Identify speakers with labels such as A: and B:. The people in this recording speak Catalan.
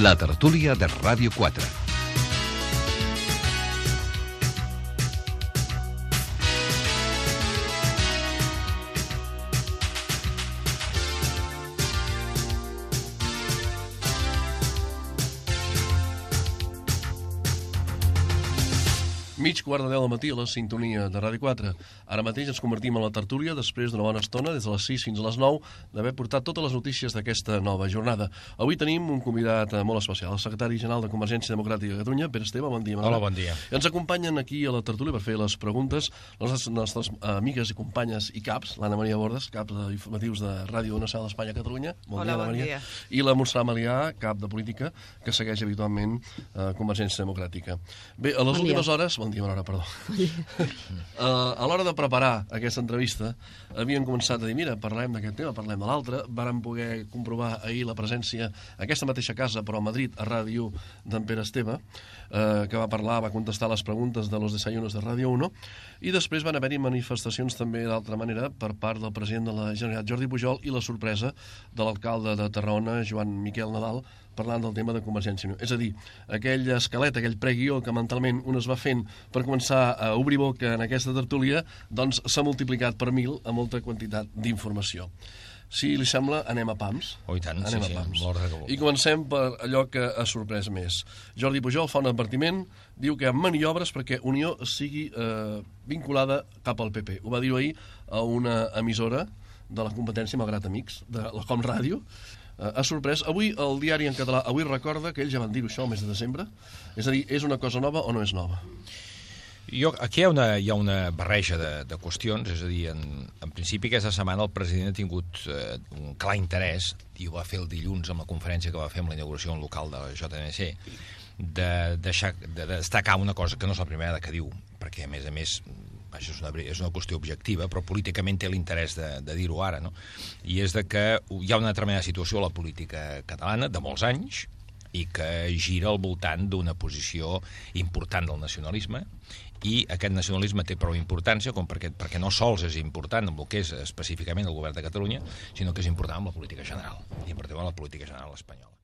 A: La tertúlia de Ràdio 4.
B: Mig quart de 10 del matí a la sintonia de Ràdio 4. Ara mateix ens convertim en la tertúlia després d'una bona estona, des de les 6 fins a les 9, d'haver portat totes les notícies d'aquesta nova jornada. Avui tenim un convidat molt especial, el secretari general de Convergència Democràtica de Catalunya, Pere Esteve, bon dia.
C: Hola, bon dia.
B: Ens acompanyen aquí a la tertúlia per fer les preguntes les nostres amigues i companyes i caps, l'Anna Maria Bordes, cap d'informatius de Ràdio Nacional d'Espanya a Catalunya.
D: Bon dia, Anna Maria.
B: I la Montserrat Malià, cap de política, que segueix habitualment Convergència Democràtica. Bé, a les últimes hores... Bon dia, Manora, perdó. A l'hora de preparar aquesta entrevista, havien començat a dir, mira, parlem d'aquest tema, parlem de l'altre. Vàrem poder comprovar ahir la presència a aquesta mateixa casa, però a Madrid, a ràdio d'en Pere Esteve, que va parlar, va contestar les preguntes de los desayunos de Ràdio 1, i després van haver-hi manifestacions també d'altra manera per part del president de la Generalitat, Jordi Pujol, i la sorpresa de l'alcalde de Tarragona, Joan Miquel Nadal, parlant del tema de Convergència i Unió. És a dir, aquell esquelet, aquell preguió que mentalment un es va fent per començar a obrir boca en aquesta tertúlia, doncs s'ha multiplicat per 1000 a molta quantitat d'informació. Si li sembla, anem a pams.
C: Oh, i tant,
B: anem
C: sí,
B: a pams.
C: Sí.
B: I comencem per allò que ha sorprès més. Jordi Pujol fa un advertiment, diu que hi ha maniobres perquè Unió sigui vinculada cap al PP. Ho va dir ahir a una emissora de la competència, malgrat amics, de la Com Ràdio. Ha sorprès. Avui el diari en català Avui recorda que ells ja van dir-ho això el mes de desembre. És a dir, és una cosa nova o no és nova?
C: Aquí hi ha una barreja de qüestions, és a dir, en principi aquesta setmana el president ha tingut un clar interès, i ho va fer el dilluns amb la conferència que va fer amb la inauguració en local de la JNC, de destacar una cosa que no és la primera que diu, perquè a més és una qüestió objectiva, però políticament té l'interès de dir-ho ara, no? I és de que hi ha una determinada situació a la política catalana de molts anys i que gira al voltant d'una posició important del nacionalisme, i aquest nacionalisme té prou importància perquè no sols és important amb el que és específicament el govern de Catalunya, sinó que és important amb la política general, i en particular la política general espanyola.